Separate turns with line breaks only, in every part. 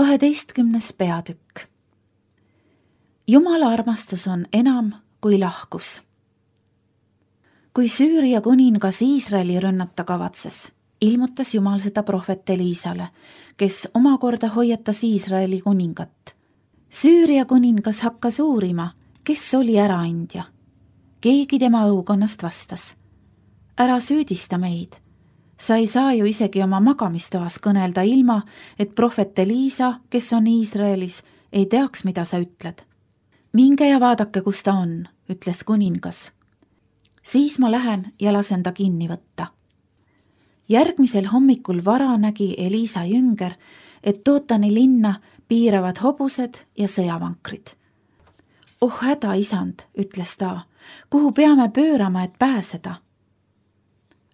12. peatükk. Jumala armastus on enam kui lahkus. Kui Süüria kuningas Iisraeli rünnata kavatses, ilmutas Jumal seda prohvet Eliisale, kes omakorda hoiatas Iisraeli kuningat. Süüria kuningas hakkas uurima, kes oli äraandja. Keegi tema õukonnast vastas: ära süüdista meid. Sa ei saa ju isegi oma magamistoas kõnelda ilma, et prohvet Eliisa, kes on Iisraelis, ei teaks, mida sa ütled. Minge ja vaadake, kus ta on, ütles kuningas. Siis ma lähen ja lasen ta kinni võtta. Järgmisel hommikul vara nägi Eliisa jünger, et Dootani linna piiravad hobused ja sõjavankrid. Oh häda, isand, ütles ta, kuhu peame pöörama, et pääseda?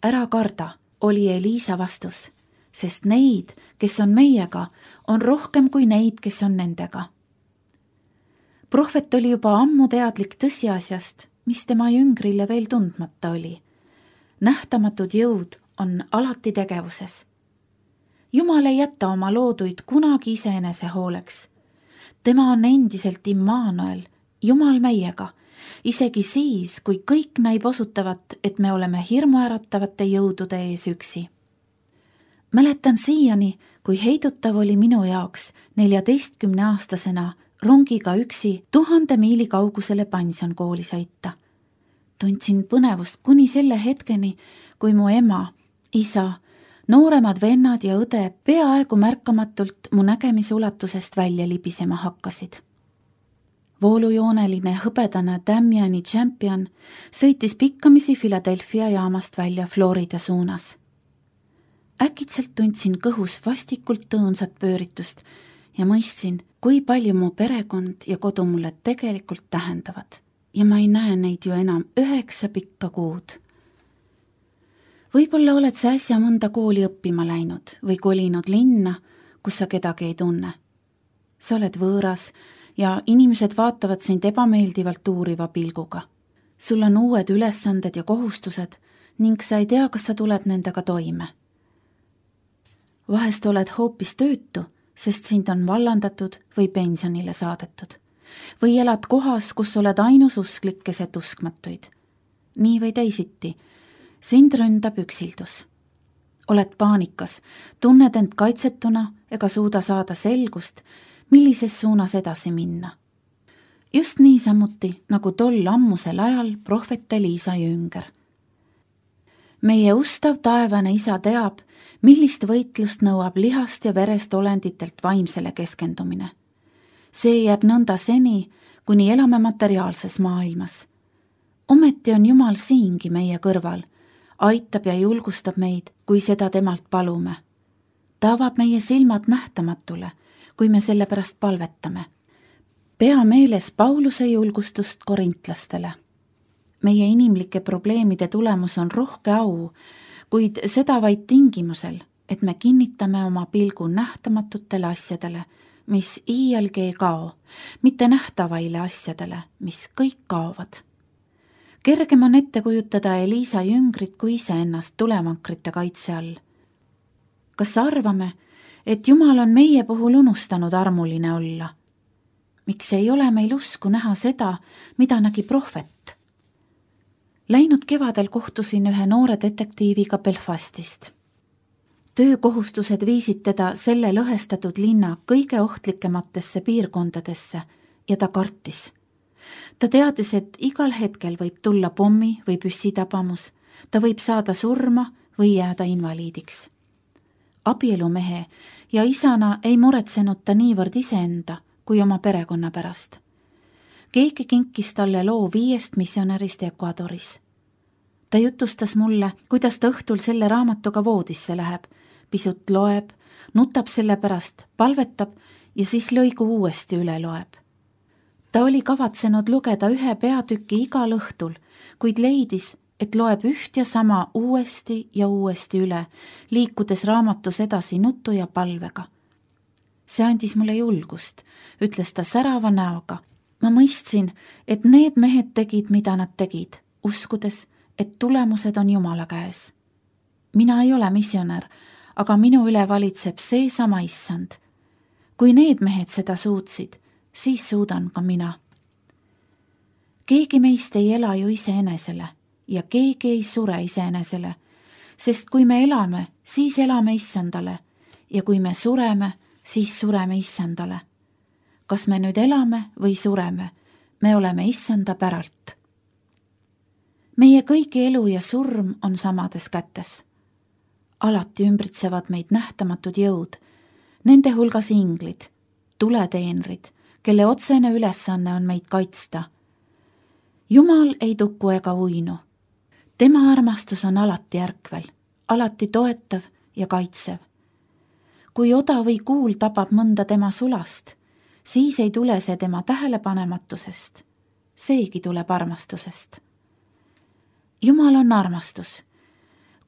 Ära karda, oli Eliisa vastus, sest neid, kes on meiega, on rohkem kui neid, kes on nendega. Prohvet oli juba ammu teadlik tõsiasjast, mis tema jüngrile veel tundmata oli. Nähtamatud jõud on alati tegevuses. Jumal ei jäta oma looduid kunagi iseenese hooleks. Tema on endiselt Immanuel, Jumal meiega, isegi siis, kui kõik näib osutavat, et me oleme hirmuäratavate jõudude ees üksi. Mäletan siiani, kui heidutav oli minu jaoks 14-aastasena rongiga üksi 1000 miili kaugusele pensionkooli sõita. Tundsin põnevust kuni selle hetkeni, kui mu ema, isa, nooremad vennad ja õde peaaegu märkamatult mu nägemise ulatusest välja libisema hakkasid. Voolujooneline hõbedane Damiani Champion sõitis pikkamisi Philadelphia jaamast välja Florida suunas. Äkitselt tundsin kõhus vastikult tõõnsat pööritust ja mõistsin, kui palju mu perekond ja kodu mulle tegelikult tähendavad. Ja ma ei näe neid ju enam 9 pikka kuud. Võib-olla oled sa äsja mõnda kooli õppima läinud või kolinud linna, kus sa kedagi ei tunne. Sa oled võõras ja inimesed vaatavad sind ebameeldivalt uuriva pilguga. Sul on uued ülesanded ja kohustused ning sa ei tea, kas sa tuled nendega toime. Vahest oled hoopis töötu, sest sind on vallandatud või pensionile saadetud. Või elad kohas, kus oled ainus usklik keset uskmatuid. Nii või teisiti, sind ründab üksildus. Oled paanikas, tunned end kaitsetuna ega suuda saada selgust, millises suunas edasi minna. Just niisamuti, nagu tol ammusel ajal prohvet Eliisa jünger. Meie ustav taevane isa teab, millist võitlust nõuab lihast ja verest olenditelt vaimsele keskendumine. See jääb nõnda seni, kuni elame materiaalses maailmas. Ometi on Jumal siingi meie kõrval, aitab ja julgustab meid, kui seda temalt palume. Ta avab meie silmad nähtamatule, kui me selle pärast palvetame. Pea meeles Pauluse julgustust korintlastele. Meie inimlike probleemide tulemus on rohke au, kuid seda vaid tingimusel, et me kinnitame oma pilgu nähtamatutele asjadele, mis iialgi ei kao, mitte nähtavaile asjadele, mis kõik kaovad. Kergem on ette kujutada Eliisa jüngrit kui iseennast tulevankrite kaitse all. Kas arvame, et Jumal on meie puhul unustanud armuline olla? Miks ei ole meil usku näha seda, mida nägi prohvet? Läinud kevadel kohtusin ühe noore detektiiviga Belfastist. Töökohustused viisid teda selle lõhestatud linna kõige ohtlikematesse piirkondadesse ja ta kartis. Ta teadis, et igal hetkel võib tulla pommi või püssitabamus, ta võib saada surma või jääda invaliidiks. Abielumehe ja isana ei muretsenud ta niivõrd iseenda kui oma perekonna pärast. Keegi kinkis talle loo 5 missionärist Ecuadoris. Ta jutustas mulle, kuidas ta õhtul selle raamatuga voodisse läheb, pisut loeb, nutab selle pärast, palvetab ja siis lõigu uuesti üle loeb. Ta oli kavatsenud lugeda 1 peatüki igal õhtul, kuid leidis, et loeb üht ja sama uuesti ja uuesti üle, liikudes raamatus edasi nutu ja palvega. See andis mulle julgust, ütles ta särava näoga. Ma mõistsin, et need mehed tegid, mida nad tegid, uskudes, et tulemused on Jumala käes. Mina ei ole missionär, aga minu üle valitseb seesama issand. Kui need mehed seda suutsid, siis suudan ka mina. Keegi meist ei ela ju iseenesele ja keegi ei sure iseenesele, sest kui me elame, siis elame Issandale ja kui me sureme, siis sureme Issandale. Kas me nüüd elame või sureme, me oleme Issanda päralt. Meie kõigi elu ja surm on samades kätes. Alati ümbritsevad meid nähtamatud jõud, nende hulgas inglid, tuleteenrid, kelle otsene ülesanne on meid kaitsta. Jumal ei tuku ega uinu. Tema armastus on alati ärkvel, alati toetav ja kaitsev. Kui oda või kuul tabab mõnda tema sulast, siis ei tule see tema tähelepanematusest, seegi tuleb armastusest. Jumal on armastus,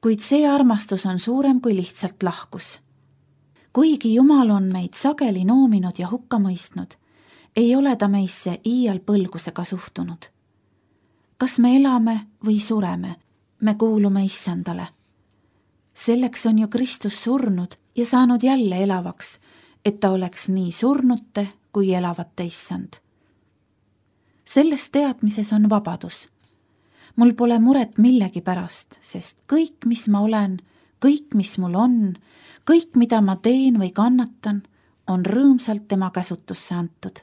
kuid see armastus on suurem kui lihtsalt lahkus. Kuigi Jumal on meid sageli noominud ja hukka mõistnud, ei ole ta meisse iial põlgusega suhtunud. Kas me elame või sureme, me kuulume Issandale. Selleks on ju Kristus surnud ja saanud jälle elavaks, et ta oleks nii surnute kui elavate Issand. Selles teadmises on vabadus. Mul pole muret millegi pärast, sest kõik, mis ma olen, kõik, mis mul on, kõik, mida ma teen või kannatan, on rõõmsalt tema käsutusse antud.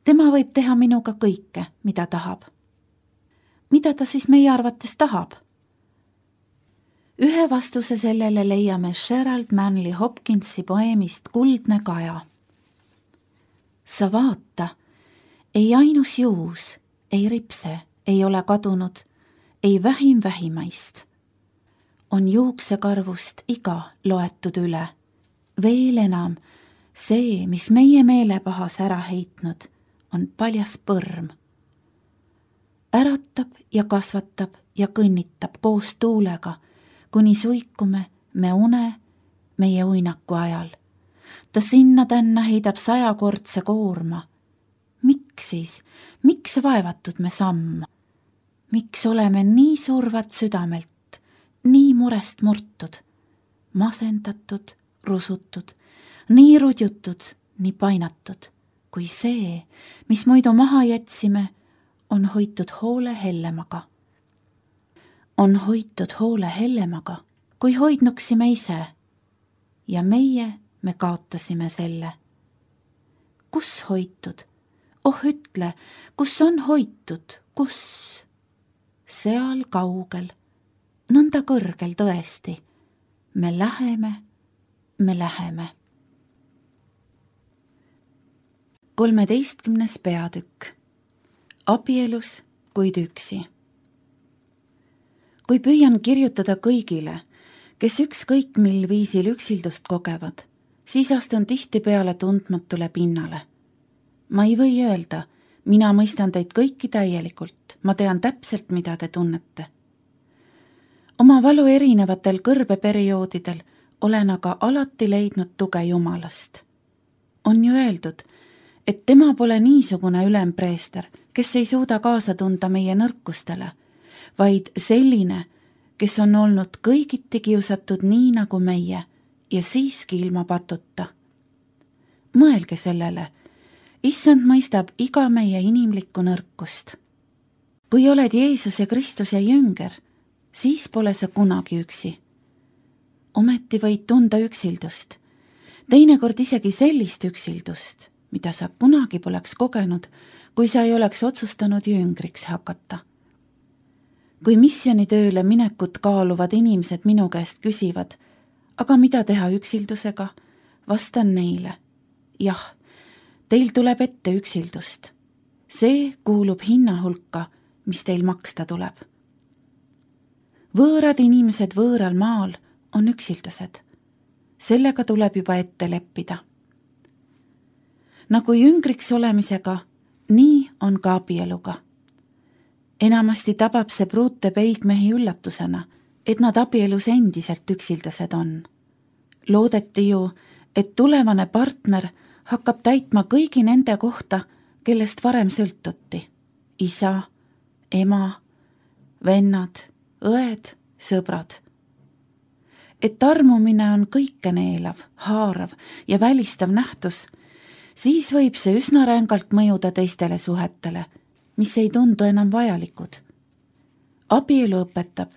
Tema võib teha minuga kõike, mida tahab. Mida ta siis meie arvates tahab? Ühe vastuse sellele leiame Gerald Manley Hopkinsi poeemist Kuldne kaja. Sa vaata, ei ainus juus, ei ripse, ei ole kadunud, ei vähim vähimaist. On juuksekarvust iga loetud üle. Veel enam, see, mis meie meelepahas ära heitnud, on paljas põrm. Äratab ja kasvatab ja kõnnitab koos tuulega, kuni suikume me une meie uinaku ajal. Ta sinna-tänna heidab 100-kordse koorma. Miks siis? Miks vaevatud me samm? Miks oleme nii survad südamelt, nii murest murtud, masendatud, rusutud, nii rudjutud, nii painatud, kui see, mis muidu maha jätsime, on hoitud hoole hellemaga. On hoitud hoole hellemaga, kui hoidnuksime ise, ja me kaotasime selle. Kus hoitud? Oh, ütle, kus on hoitud, kus? Seal kaugel, nõnda kõrgel tõesti. Me läheme. 13. peatükk. Abielus, kuid üksi. Kui püüan kirjutada kõigile, kes ükskõik mil viisil üksildust kogevad, siis astun tihtipeale tundmatule pinnale. Ma ei või öelda, mina mõistan teid kõiki täielikult, ma tean täpselt, mida te tunnete. Oma valu erinevatel kõrbeperioodidel olen aga alati leidnud tuge Jumalast. On ju öeldud, et tema pole niisugune ülempreester, kes ei suuda kaasa tunda meie nõrkustele, vaid selline, kes on olnud kõigiti kiusatud nii nagu meie ja siiski ilma patuta. Mõelge sellele, Issand mõistab iga meie inimlikku nõrkust. Kui oled Jeesuse Kristuse jünger, siis pole sa kunagi üksi. Ometi võid tunda üksildust, teinekord isegi sellist üksildust, mida sa kunagi poleks kogenud, kui sa ei oleks otsustanud jüngriks hakata. Kui missionitööle minekut kaaluvad inimesed minu käest küsivad, aga mida teha üksildusega, vastan neile, jah, teil tuleb ette üksildust. See kuulub hinna hulka, mis teil maksta tuleb. Võõrad inimesed võõral maal on üksildased. Sellega tuleb juba ette leppida. Nagu jüngriks olemisega, nii on ka abieluga. Enamasti tabab see pruute peigmehi üllatusena, et nad abielus endiselt üksildased on. Loodeti ju, et tulevane partner hakkab täitma kõigi nende kohta, kellest varem sõltuti. Isa, ema, vennad, õed, sõbrad. Et armumine on kõikeneelav, haarav ja välistav nähtus, siis võib see üsna rängalt mõjuda teistele suhetele, mis ei tundu enam vajalikud. Abielu õpetab,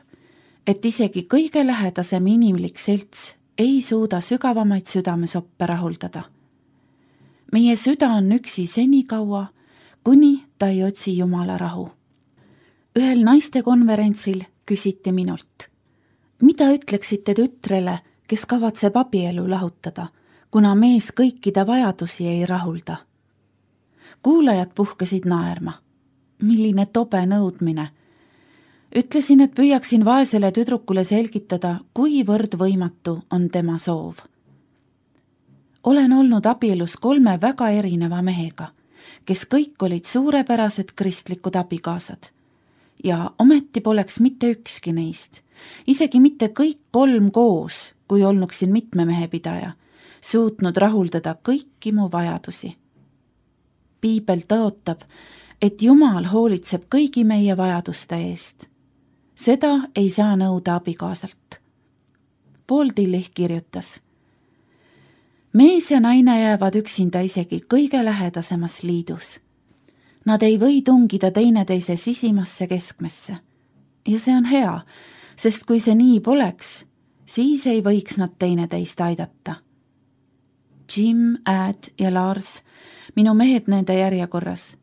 et isegi kõige lähedasem inimlik selts ei suuda sügavamaid südamesoppe rahuldada. Meie süda on üksi senikaua, kuni ta ei otsi Jumala rahu. Ühel naistekonverentsil küsiti minult, mida ütleksite tütrele, kes kavatseb abielu lahutada, kuna mees kõikide vajadusi ei rahulda? Kuulajad puhkesid naerma. Milline tobe nõudmine! Ütlesin, et püüaksin vaesele tüdrukule selgitada, kuivõrd võimatu on tema soov. Olen olnud abielus 3 väga erineva mehega, kes kõik olid suurepärased kristlikud abikaasad. Ja ometi poleks mitte ükski neist, isegi mitte kõik 3 koos, kui olnuksin mitme mehe pidaja, suutnud rahuldada kõiki mu vajadusi. Piibel tõotab, et Jumal hoolitseb kõigi meie vajaduste eest. Seda ei saa nõuda abikaasalt. Paul Tillich kirjutas, mees ja naine jäävad üksinda isegi kõige lähedasemas liidus. Nad ei või tungida teineteise sisimasse keskmesse. Ja see on hea, sest kui see nii poleks, siis ei võiks nad teineteist aidata. Jim, Ad ja Lars, minu mehed nende järjekorras,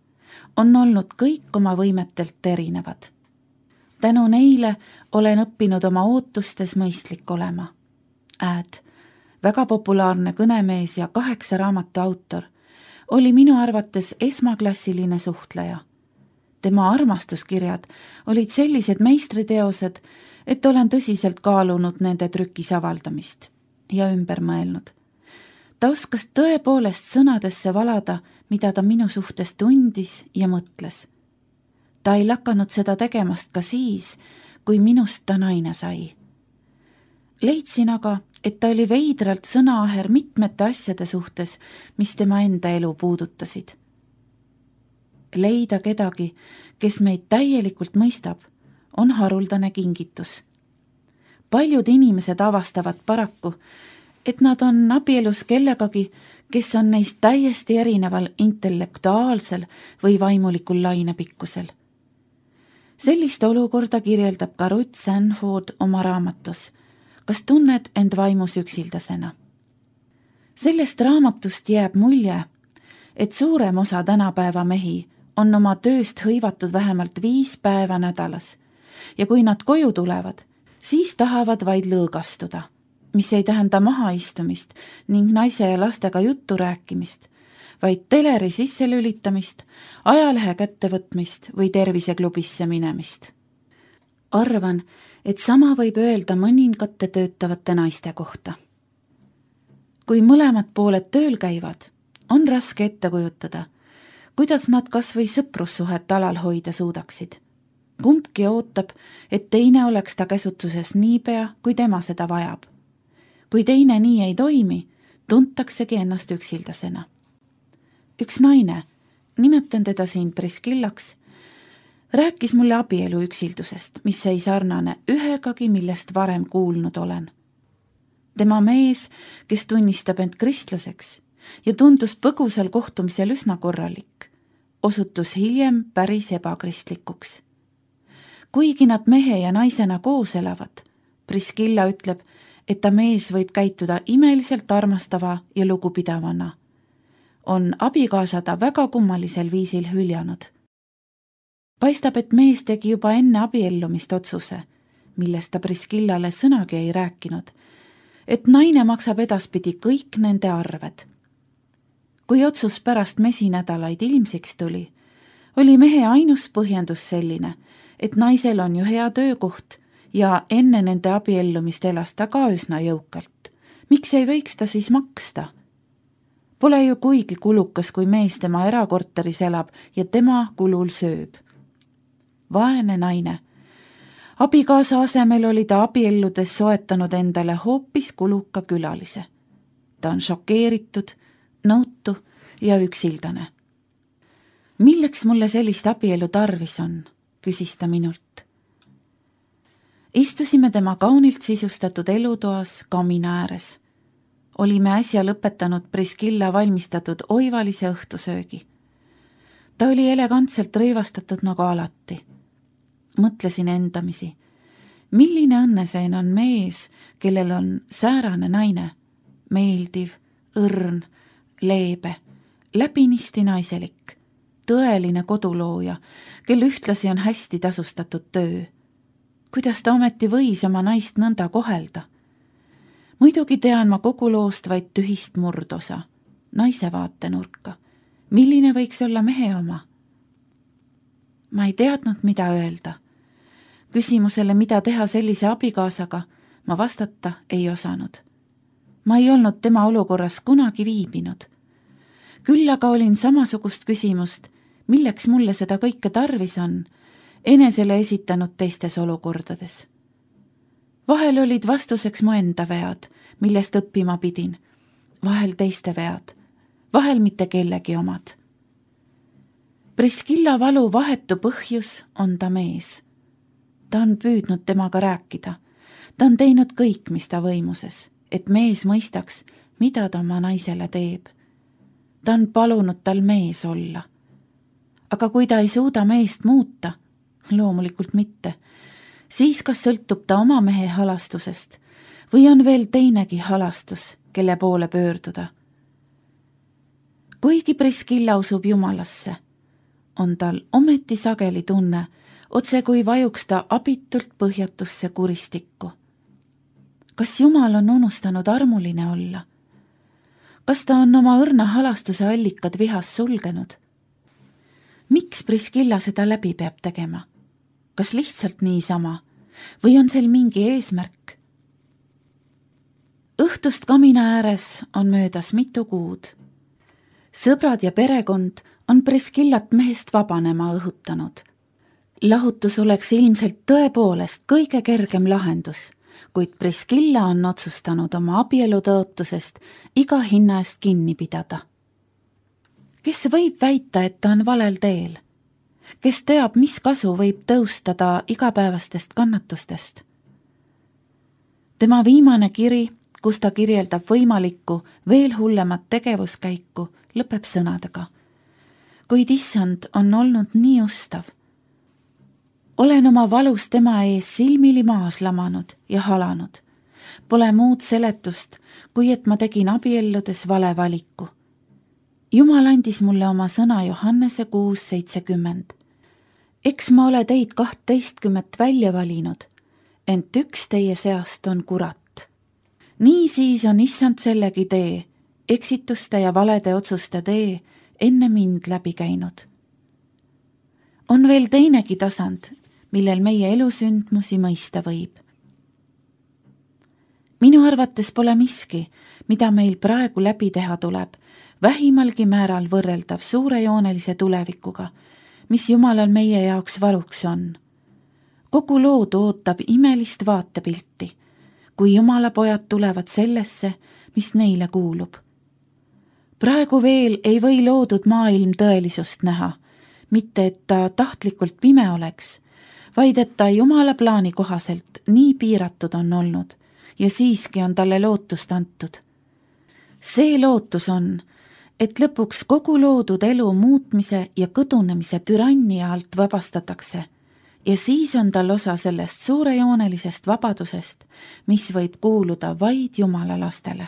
on olnud kõik oma võimetelt erinevad. Tänu neile olen õppinud oma ootustes mõistlik olema. Ad, väga populaarne kõnemees ja 8 raamatu autor, oli minu arvates esmaklassiline suhtleja. Tema armastuskirjad olid sellised meistriteosed, et olen tõsiselt kaalunud nende trükis avaldamist ja ümber mõelnud. Ta oskas tõepoolest sõnadesse valada, mida ta minu suhtes tundis ja mõtles. Ta ei lakanud seda tegemast ka siis, kui minust ta naine sai. Leidsin aga, et ta oli veidralt sõnaaher mitmete asjade suhtes, mis tema enda elu puudutasid. Leida kedagi, kes meid täielikult mõistab, on haruldane kingitus. Paljud inimesed avastavad paraku, et nad on abielus kellegagi, kes on neist täiesti erineval intellektuaalsel või vaimulikul lainepikkusel. Sellist olukorda kirjeldab ka Ruth Sanford oma raamatus Kas tunned end vaimus üksildasena? Sellest raamatust jääb mulje, et suurem osa tänapäeva mehi on oma tööst hõivatud vähemalt 5 päeva nädalas ja kui nad koju tulevad, siis tahavad vaid lõõgastuda, mis ei tähenda mahaistumist ning naise ja lastega juttu rääkimist, vaid teleri sisse lülitamist, ajalehe kättevõtmist või terviseklubisse minemist. Arvan, et sama võib öelda mõningate töötavate naiste kohta. Kui mõlemad pooled tööl käivad, on raske ette kujutada, kuidas nad kas või sõprussuhet alal hoida suudaksid. Kumbki ootab, et teine oleks ta käsutuses niipea, kui tema seda vajab. Kui teine nii ei toimi, tuntaksegi ennast üksildasena. Üks naine, nimetan teda siin Priskillaks, rääkis mulle abielu üksildusest, mis ei sarnane ühegagi, millest varem kuulnud olen. Tema mees, kes tunnistab end kristlaseks ja tundus põgusal kohtumisel üsna korralik, osutus hiljem päris ebakristlikuks. Kuigi nad mehe ja naisena koos elavad, Priskilla ütleb, et ta mees võib käituda imeliselt armastava ja lugupidavana. On abikaasa ta väga kummalisel viisil hüljanud. Paistab, et mees tegi juba enne abiellumist otsuse, millest ta Priskillale sõnagi ei rääkinud, et naine maksab edaspidi kõik nende arved. Kui otsus pärast mesinädalaid ilmsiks tuli, oli mehe ainus põhjendus selline, et naisel on ju hea töökoht ja enne nende abiellumist elas ta ka üsna jõukalt. Miks ei võiks ta siis maksta? Pole ju kuigi kulukas, kui mees tema erakorteris elab ja tema kulul sööb. Vaene naine. Abikaasa asemel oli ta abielludes soetanud endale hoopis kuluka külalise. Ta on šokeeritud, nõutu ja üksildane. Milleks mulle sellist abielu tarvis on, küsis ta minult. Istusime tema kaunilt sisustatud elutoas kamina ääres. olime äsja lõpetanud Priskilla valmistatud oivalise õhtusöögi. Ta oli elegantselt rõivastatud nagu alati. Mõtlesin endamisi, milline õnneseen on mees, kellel on säärane naine, meeldiv, õrn, leebe, läbinisti naiselik, tõeline kodulooja, kel ühtlasi on hästi tasustatud töö. Kuidas ta ometi võis oma naist nõnda kohelda? Muidugi tean ma kogu loost vaid tühist murdosa, naise vaatenurka. Milline võiks olla mehe oma? Ma ei teadnud, mida öelda. Küsimusele, mida teha sellise abikaasaga, ma vastata ei osanud. Ma ei olnud tema olukorras kunagi viibinud. Küll aga olin samasugust küsimust, milleks mulle seda kõike tarvis on, enesele esitanud teistes olukordades. Vahel olid vastuseks mu enda vead, millest õppima pidin, vahel teiste vead, vahel mitte kellegi omad. Priskilla valu vahetu põhjus on ta mees. Ta on püüdnud temaga rääkida. Ta on teinud kõik, mis ta võimuses, et mees mõistaks, mida ta oma naisele teeb. Ta on palunud tal mees olla. Aga kui ta ei suuda meest muuta, loomulikult mitte, siis kas sõltub ta oma mehe halastusest või on veel teinegi halastus, kelle poole pöörduda. Kuigi Priskilla usub Jumalasse, on tal ometi sageli tunne, otse kui vajuks ta abitult põhjatusse kuristikku. Kas Jumal on unustanud armuline olla? Kas ta on oma õrna halastuse allikad vihas sulgenud? Miks Priskilla seda läbi peab tegema? Kas lihtsalt niisama või on seal mingi eesmärk? Õhtust kamina ääres on möödas mitu kuud. Sõbrad ja perekond on Priskillat mehest vabanema õhutanud. Lahutus oleks ilmselt tõepoolest kõige kergem lahendus, kuid Priskilla on otsustanud oma abielutõotusest iga hinna eest kinni pidada. Kes võib väita, et ta on valel teel? Kes teab, mis kasu võib tõustada igapäevastest kannatustest? Tema viimane kiri, kus ta kirjeldab võimalikku veel hullemat tegevuskäiku, lõpeb sõnadega. Kuid issand on olnud nii ustav. Olen oma valus tema ees silmili maas lamanud ja halanud. Pole muud seletust, kui et ma tegin abielludes vale valiku. Jumal andis mulle oma sõna Johannese 6:70. Eks ma ole teid 12 välja valinud, ent üks teie seast on kurat. Nii siis on issand sellegi tee, eksituste ja valede otsuste tee, enne mind läbi käinud. On veel teinegi tasand, millel meie elusündmusi mõista võib. Minu arvates pole miski, mida meil praegu läbi teha tuleb, vähimalgi määral võrreldav suurejoonelise tulevikuga, mis Jumalal meie jaoks varuks on. Kogu loodu ootab imelist vaatepilti, kui Jumala pojad tulevad sellesse, mis neile kuulub. Praegu veel ei või loodud maailm tõelisust näha, mitte et ta tahtlikult pime oleks, vaid et ta Jumala plaani kohaselt nii piiratud on olnud ja siiski on talle lootust antud. See lootus on, et lõpuks kogu loodud elu muutmise ja kõdunemise türannia alt vabastatakse ja siis on tal osa sellest suurejoonelisest vabadusest, mis võib kuuluda vaid Jumala lastele.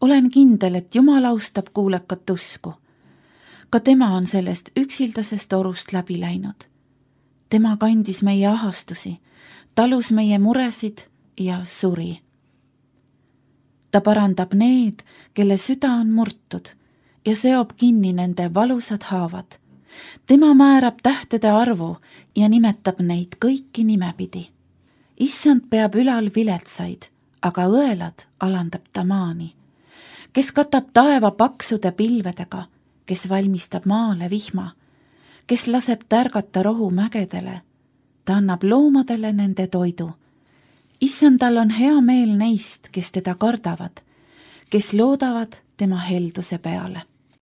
Olen kindel, et Jumal austab kuulekat usku. Ka tema on sellest üksildasest orust läbi läinud. Tema kandis meie ahastusi, talus meie muresid ja suri. Ta parandab need, kelle süda on murtud ja seob kinni nende valusad haavad. Tema määrab tähtede arvu ja nimetab neid kõiki nimepidi. Issand peab ülal viletsaid, aga õelad alandab ta maani. Kes katab taeva paksude pilvedega, kes valmistab maale vihma, kes laseb tärgata rohu mägedele, ta annab loomadele nende toidu. Issandal on hea meel neist, kes teda kardavad, kes loodavad tema helduse peale.